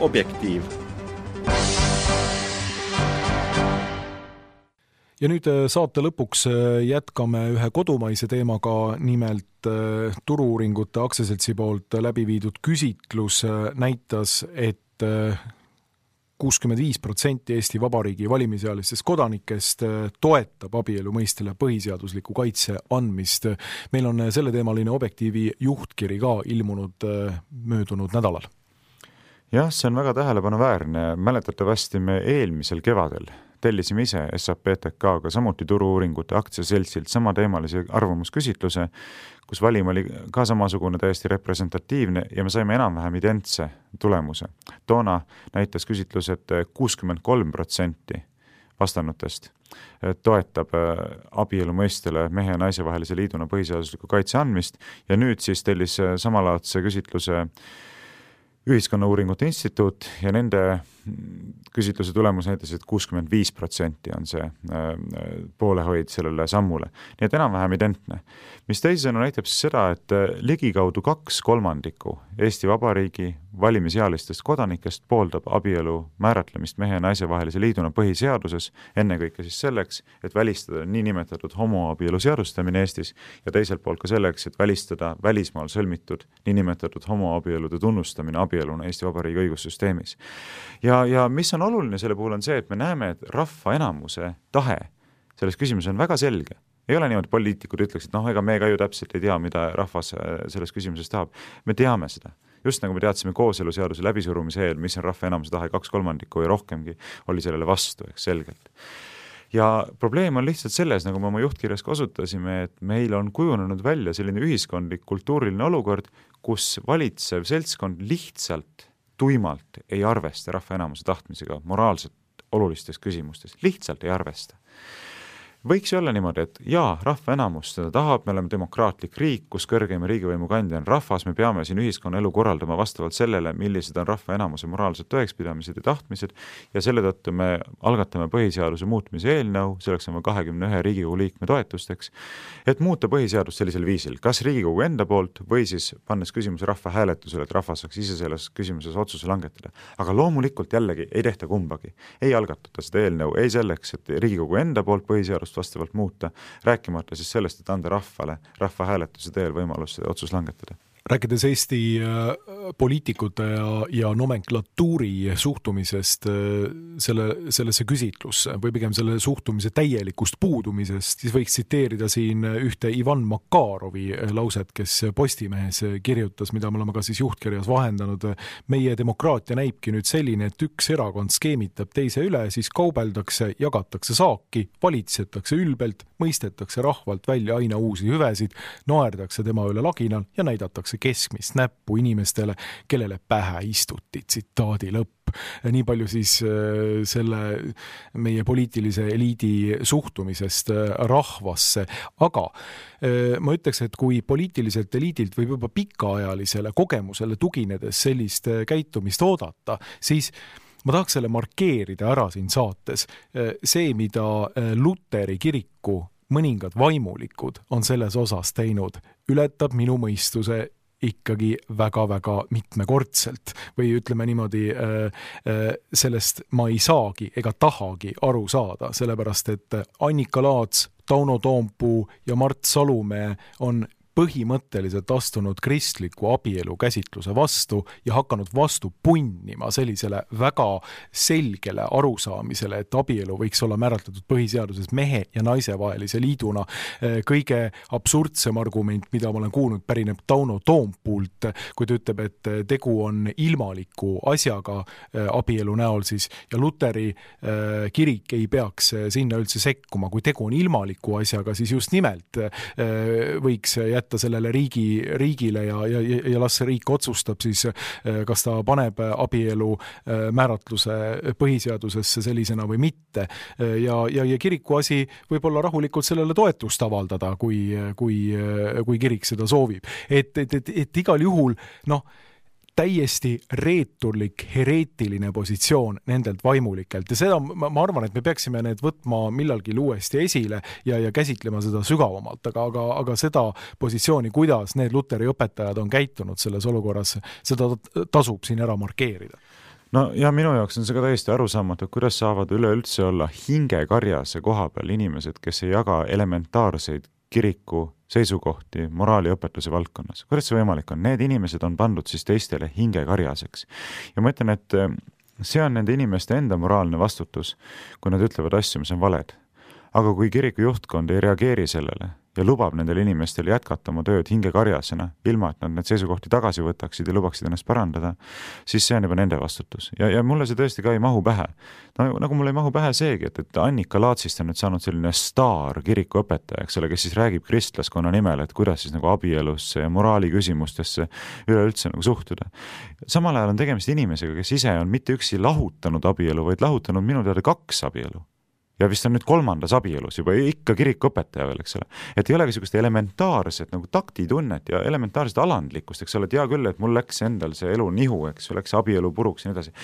Objektiiv. Ja nüüd saate lõpuks jätkame ühe kodumaise teemaga, nimelt Turu-uuringute aktsiaseltsi poolt läbi viidud küsitlus näitas, et kuuskümmend viis protsenti Eesti Vabariigi valimisealistest kodanikest toetab abielu mõistele põhiseadusliku kaitse andmist. Meil on selle teemaline Objektiivi juhtkiri ka ilmunud möödunud nädalal. Jah, see on väga tähelepanuväärne. Mäletatavasti me eelmisel kevadel tellisime ise S A P T K-ga samuti Turu-uuringute aktsiaseltsilt sama teemalise arvamusküsitluse, kus valim oli ka samasugune täiesti representatiivne ja me saime enam-vähem identse tulemuse. Toona näitas küsitlus, et kuuskümmend kolm protsenti vastanutest toetab abielu mõistele mehe ja naise vahelise liiduna põhiseadusliku kaitse andmist ja nüüd siis tellis samalaadse küsitluse Ühiskonnauuringute Instituut ja nende küsitluse tulemus näitas, et kuuskümmend viis protsenti on see poolehoid sellele sammule. Nii et enam-vähem identne. Mis teisena näitab siis seda, et ligikaudu kaks kolmandikku Eesti Vabariigi valimisealistest kodanikest pooldab abielu määratlemist mehe ja naise vahelise liiduna põhiseaduses, ennekõike siis selleks, et välistada niinimetatud homoabielu seadustamine Eestis ja teiselt poolt ka selleks, et välistada välismaal sõlmitud niinimetatud homoabielude tunnustamine abieluna Eesti Vabariigi õigussüsteemis. Ja, ja mis on oluline selle puhul on see, et me näeme, et rahva enamuse tahe selles küsimuses on väga selge. Ei ole niimoodi, poliitikud ütleks, et noh, ega me ka ju täpselt ei tea, mida rahvas selles küsimuses tahab. Me teame seda. Just nagu me teadsime kooseluseaduse läbisurumise eel, mis on rahva enamuse tahe, kaks kolmandikku ja rohkemgi oli sellele vastu, eks selgelt. Ja probleem on lihtsalt selles, nagu me oma juhtkirjas kasutasime, et meil on kujunenud välja selline ühiskondlik kultuuriline olukord, kus valitsev seltskond lihtsalt tuimalt ei arvesta rahva enamuse tahtmisega moraalselt olulistes küsimustes. Lihtsalt ei arvesta. võiks ju olla niimoodi, et jaa, rahva enamus seda tahab, me oleme demokraatlik riik, kus kõrgeim riigivõimu kandja on rahvas, me peame siin ühiskonna elu korraldama vastavalt sellele, millised on rahva enamuse moraalsed tõekspidamised ja tahtmised ja selle tõttu me algatame põhiseaduse muutmise eelnõu, selleks on kahekümne ühe Riigikogu liikme toetusteks, et muuta põhiseadust sellisel viisil, kas Riigikogu enda poolt või siis pannes küsimuse rahva hääletusele, et rahvas saaks ise selles küsimuses otsuse langetada. Aga loomulikult jällegi ei tehta kumbagi. Ei algatata seda eelnõu, ei selleks, et Riigikogu enda poolt põhiseadust vastavalt muuta, rääkimata siis sellest, et anda rahvale, rahva hääletuse teel võimalus otsus langetada. Rääkides Eesti poliitikute ja, ja nomenklatuuri suhtumisest selle, sellesse küsitlusse või pigem selle suhtumise täielikust puudumisest, siis võiks tsiteerida siin ühte Ivan Makarovi lauset, kes Postimehes kirjutas, mida me oleme ka siis juhtkirjas vahendanud. Meie demokraatia näibki nüüd selline, et üks erakond skeemitab teise üle, siis kaubeldakse, jagatakse saaki, valitsetakse ülbelt, mõistetakse rahvalt välja aina uusi hüvesid, naerdakse tema üle laginal ja näidatakse keskmist näppu inimestele, kellele pähe istuti, tsitaadi lõpp. Nii palju siis selle meie poliitilise eliidi suhtumisest rahvasse. Aga ma ütleks, et kui poliitiliselt eliidilt võib juba pikaajalisele kogemusele tuginedes sellist käitumist oodata, siis ma tahaks selle markeerida ära siin saates. See, mida Luteri kiriku mõningad vaimulikud on selles osas teinud, ületab minu mõistuse ikkagi väga-väga mitmekordselt või ütleme niimoodi, sellest ma ei saagi ega tahagi aru saada, sellepärast et Annika Laats, Tauno Toompuu ja Mart Salumäe on põhimõtteliselt astunud kristliku abielu käsitluse vastu ja hakanud vastu punnima sellisele väga selgele arusaamisele, et abielu võiks olla määratletud põhiseaduses mehe ja naise vahelise liiduna. Kõige absurdsem argument, mida ma olen kuulnud, pärineb Tauno Toompuult, kui ta ütleb, et tegu on ilmaliku asjaga abielu näol siis ja Luteri kirik ei peaks sinna üldse sekkuma. Kui tegu on ilmaliku asjaga, siis just nimelt võiks jätta sellele riigi, riigile ja, ja, ja las see riik otsustab siis, kas ta paneb abielu määratluse põhiseadusesse sellisena või mitte. Ja, ja, ja kiriku asi võib olla rahulikult sellele toetust avaldada, kui, kui, kui kirik seda soovib. Et, et, et, et igal juhul, noh, täiesti reeturlik, hereetiline positsioon nendelt vaimulikelt ja seda ma, ma arvan, et me peaksime need võtma millalgi uuesti esile ja, ja käsitlema seda sügavamalt, aga, aga, aga seda positsiooni, kuidas need Luteri õpetajad on käitunud selles olukorras, seda tasub siin ära markeerida. No ja minu jaoks on see ka täiesti arusaamatu, kuidas saavad üleüldse olla hingekarjase koha peal inimesed, kes ei jaga elementaarseid kiriku seisukohti moraaliõpetuse valdkonnas. Kuidas see võimalik on? Need inimesed on pandud siis teistele hingekarjaseks. Ja ma ütlen, et see on nende inimeste enda moraalne vastutus, kui nad ütlevad asju, mis on valed. Aga kui kiriku juhtkond ei reageeri sellele ja lubab nendel inimestel jätkata oma tööd hingekarjasena, ilma et nad need seisukohti tagasi võtaksid ja lubaksid ennast parandada, siis see on juba nende vastutus. Ja, ja mulle see tõesti ka ei mahu pähe. No, nagu mulle ei mahu pähe seegi, et, et Annika Laatsist on nüüd saanud selline staar kirikuõpetaja, eks ole, kes siis räägib kristlaskonna nimel, et kuidas siis nagu abielusse ja moraali küsimustesse üleüldse nagu suhtuda. Samal ajal on tegemist inimesega, kes ise on mitte üksi lahutanud abielu, vaid lahutanud minu teada kaks abielu. Ja vist on nüüd kolmandas abielus juba ikka kirikuõpetaja veel, eks ole. Et ei ole niisugust elementaarset nagu taktitunnet ja elementaarset alandlikkust, eks ole, et hea küll, et mul läks endal see elu nihu, eks, läks abielu puruks ja nii edasi.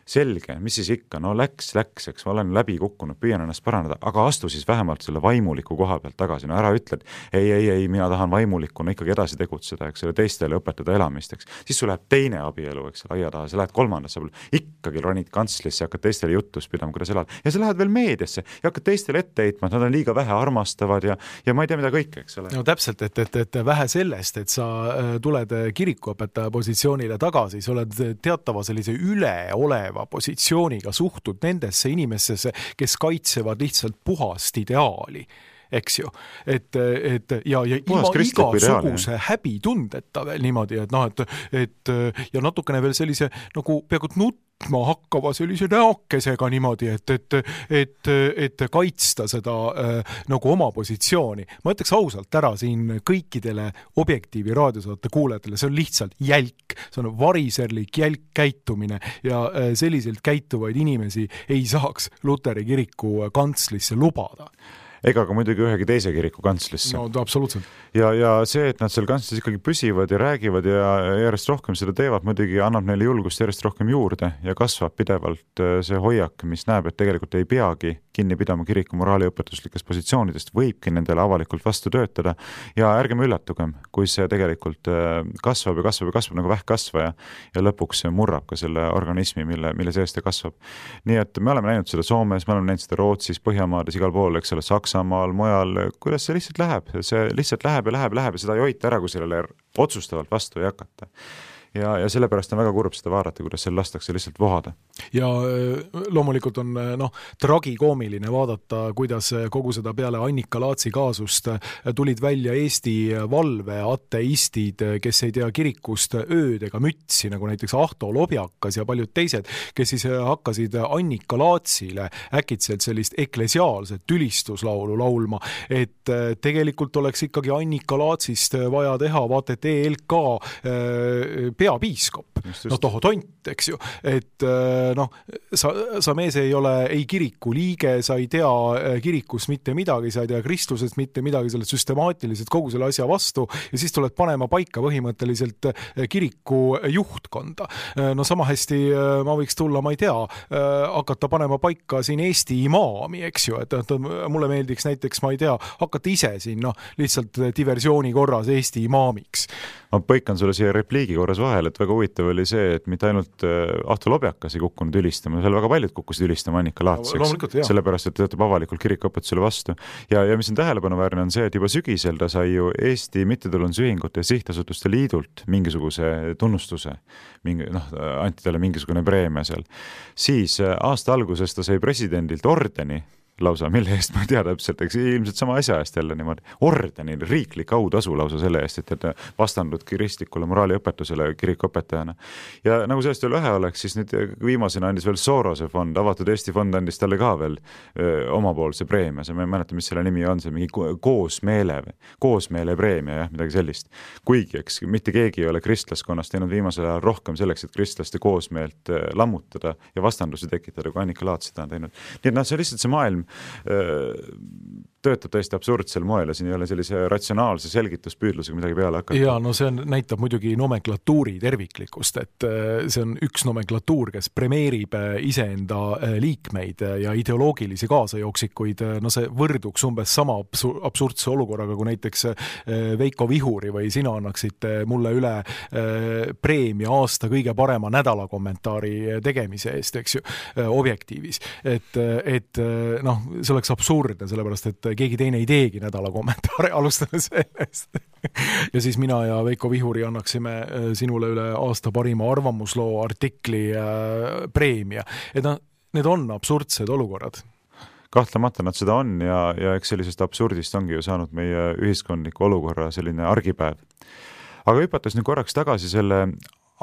Selge, mis siis ikka, no läks, läks, eks ma olen läbi kukkunud, püüan ennast parandada, aga astu siis vähemalt selle vaimuliku koha pealt tagasi, no ära ütled, ei, ei, ei, mina tahan vaimulikuna ikkagi edasi tegutseda, eks ole, teistele õpetada elamist, eks. Siis sul läheb teine abielu, eks, aia taha, sa lähed kolmandasse abielu, ikkagi ronid kantslisse ja hakkad teistele jutus pidama, kuidas elad, ja sa lähed veel meediasse ja hakkad teistele ette heitma, et nad on liiga vähe armastavad ja, ja ma ei tea mida kõike, eks ole. No täpselt, et, et, et vähe sellest, et sa tuled kirikuõpetaja positsioonile tagasi, sa oled teatava sellise üleoleva positsiooniga suhtud nendesse inimestesse, kes kaitsevad lihtsalt puhast ideaali, eks ju. Et, et ja, ja ilma igasuguse häbitundeta veel niimoodi, et noh, et, et ja natukene veel sellise nagu peaaegu nut ma hakkava sellise näokesega niimoodi, et, et, et, et kaitsta seda äh, nagu oma positsiooni. Ma ütleks ausalt ära siin kõikidele Objektiivi raadiosaate kuulajatele, see on lihtsalt jälk, see on variserlik jälk käitumine ja äh, selliselt käituvaid inimesi ei saaks Luteri kiriku kantslisse lubada. ega ka muidugi ühegi teise kiriku kantslisse. No absoluutselt. Ja, ja see, et nad seal kantslis ikkagi püsivad ja räägivad ja järjest rohkem seda teevad, muidugi annab neile julgust järjest rohkem juurde ja kasvab pidevalt see hoiak, mis näeb, et tegelikult ei peagi kinni pidama kiriku moraaliõpetuslikest positsioonidest, võibki nendele avalikult vastu töötada ja ärgem üllatugem, kui see tegelikult kasvab ja kasvab ja kasvab nagu vähkkasvaja ja lõpuks murrab ka selle organismi, mille, mille sees ta kasvab. Nii et me oleme näinud seda Soomes, me oleme näinud seda Rootsis, Põhjamaades, igal pool, eks ole, Saksamaal, mujal, kuidas see lihtsalt läheb, see lihtsalt läheb ja läheb ja läheb ja seda ei hoita ära, kui sellele otsustavalt vastu ei hakata. Ja, ja sellepärast on väga kurb seda vaadata, kuidas seal lastakse lihtsalt vohada. Ja loomulikult on no, tragikoomiline vaadata, kuidas kogu seda peale Annika Laatsi kaasust tulid välja Eesti valve ateistid, kes ei tea kirikust ööd ega mütsi, nagu näiteks Ahto Lobjakas ja paljud teised, kes siis hakkasid Annika Laatsile äkitselt sellist eklesiaalset tülistuslaulu laulma, et tegelikult oleks ikkagi Annika Laatsist vaja teha, vaata, et E L K peapiiskop. No toho tont, eks ju. Et noh, sa, sa mees ei ole ei kiriku liige, sa ei tea kirikus mitte midagi, sa ei tea kristlusest mitte midagi, sa oled süstemaatiliselt kogu selle asja vastu ja siis tuled panema paika põhimõtteliselt kiriku juhtkonda. No sama hästi ma võiks tulla, ma ei tea, hakata panema paika siin Eesti imaami, eks ju, et, et mulle meeldiks näiteks, ma ei tea, hakata ise siin no, lihtsalt diversiooni korras Eesti imaamiks. Ma põikan sulle siia repliigi korras vahel, et väga huvitav oli see, et mitte ainult Ahto Lobjakas ei kukkunud ülistama, seal väga paljud kukkusid ülistama Annika Laatseks, sellepärast, et töötab avalikult kirikuõpetusele vastu. Ja, ja mis on tähelepanuväärne on see, et juba sügisel ta sai ju Eesti mittetulundusühingute ja sihtasutuste liidult mingisuguse tunnustuse, mingi, noh, anti talle mingisugune preemia seal. Siis aasta alguses ta sai presidendilt ordeni, lausa, mille eest ma ei tea täpselt, eks ilmselt sama asja eest jälle niimoodi, ordeni, riiklik autasu lausa selle eest, et, et vastandud kristlikule moraaliõpetusele kirikuõpetajana. Ja nagu sellest veel vähe oleks, siis nüüd viimasena andis veel Sorose fond, avatud Eesti fond andis talle ka veel öö, omapoolse preemia, see ma ei mäleta, mis selle nimi on, see mingi koosmeele, koosmeele preemia, jah, midagi sellist. Kuigi, eks, mitte keegi ei ole kristlaskonnast teinud viimasel ajal rohkem selleks, et kristlaste koosmeelt lammutada ja vastandusi tekitada, kui Annika Laats seda on teinud. Nii et noh, see lihtsalt see maailm töötab tõesti absurdsel moel ja siin ei ole sellise ratsionaalse selgituspüüdlusega midagi peale hakata. Ja no see on, näitab muidugi nomenklatuuri terviklikkust, et see on üks nomenklatuur, kes premeerib iseenda liikmeid ja ideoloogilisi kaasajooksikuid, no see võrduks umbes sama absurdse olukorraga, kui näiteks Veiko Vihuri või sina annaksid mulle üle preemia aasta kõige parema nädala kommentaari tegemise eest, eks ju, objektiivis. Et, et noh, see oleks absurdne, sellepärast, et keegi teine ei teegi nädala kommentaare, alustame sellest. Ja siis mina ja Veiko Vihuri annaksime sinule üle aasta parima arvamusloo artikli preemia. Et no, need on absurdsed olukorrad. Kahtlemata nad seda on ja, ja eks sellisest absurdist ongi ju saanud meie ühiskondliku olukorra selline argipäev. Aga hüpates nüüd korraks tagasi selle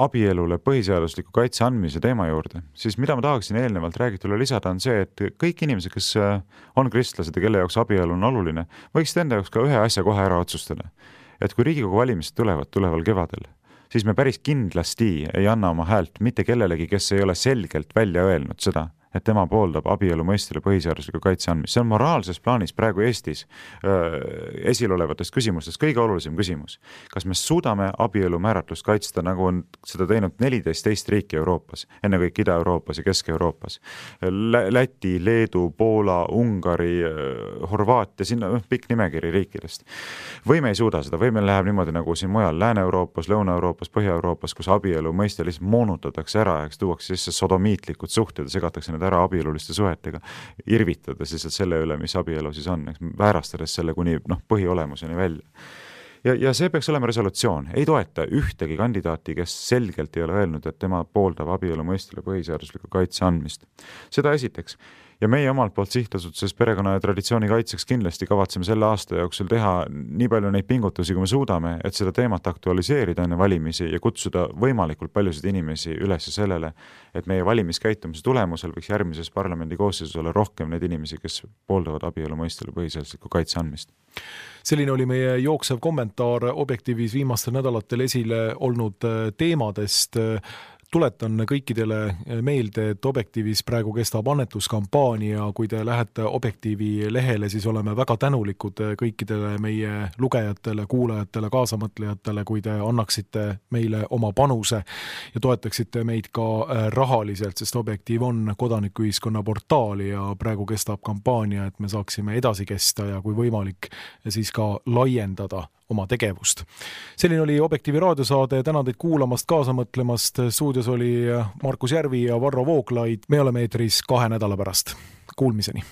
abielule põhiseadusliku kaitse andmise teema juurde, siis mida ma tahaksin eelnevalt räägitule lisada on see, et kõik inimesed, kes on kristlased ja kelle jaoks abielu on oluline, võiksid enda jaoks ka ühe asja kohe ära otsustada. Et kui Riigikogu valimised tulevad tuleval kevadel, siis me päris kindlasti ei anna oma häält mitte kellelegi, kes ei ole selgelt välja öelnud seda, et tema pooldab abielu mõistele põhiseadusliku kaitse andmist. See on moraalses plaanis praegu Eestis äh, esilolevatest küsimustest kõige olulisem küsimus. Kas me suudame abielu määratlust kaitsta, nagu on seda teinud neliteist teist riiki Euroopas, enne kõik Ida-Euroopas ja Kesk-Euroopas. Läti, Leedu, Poola, Ungari, Horvaatia, sinna pikk nimekiri riikidest. Või me ei suuda seda, või meil läheb niimoodi nagu siin mujal Lääne-Euroopas, Lõuna-Euroopas, Põhja-Euroopas, kus abielu mõiste lihtsalt moonutatakse ära, eks tuuakse sisse sodomiitlikud suhted ja segatakse ära abieluliste suhetega, irvitades lihtsalt selle üle, mis abielu siis on, väärastades selle kuni noh, põhiolemuseni välja. Ja, ja see peaks olema resolutsioon. Ei toeta ühtegi kandidaati, kes selgelt ei ole öelnud, et tema pooldab abielu mõistele põhiseadusliku kaitse andmist. Seda esiteks. Ja meie omalt poolt sihtasutuses perekonna ja traditsiooni kaitseks kindlasti kavatseme selle aasta jooksul teha nii palju neid pingutusi, kui me suudame, et seda teemat aktualiseerida enne valimisi ja kutsuda võimalikult paljusid inimesi üles sellele, et meie valimiskäitumise tulemusel võiks järgmises parlamendi koosseisus olla rohkem neid inimesi, kes pooldavad abielu mõistele põhiseadusliku kaitse andmist. Selline oli meie jooksev kommentaar Objektiivis viimastel nädalatel esile olnud teemadest. tuletan kõikidele meelde, et Objektiivis praegu kestab annetuskampaania, kui te lähete Objektiivi lehele, siis oleme väga tänulikud kõikidele meie lugejatele, kuulajatele, kaasamõtlejatele, kui te annaksite meile oma panuse ja toetaksite meid ka rahaliselt, sest Objektiiv on kodanikuühiskonna portaal ja praegu kestab kampaania, et me saaksime edasi kesta ja kui võimalik, siis ka laiendada oma tegevust. Selline oli Objektiivi raadiosaade, tänan teid kuulamast, kaasa mõtlemast, stuudios oli Markus Järvi ja Varro Vooglaid, me oleme eetris kahe nädala pärast. Kuulmiseni!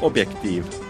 Objektiiv.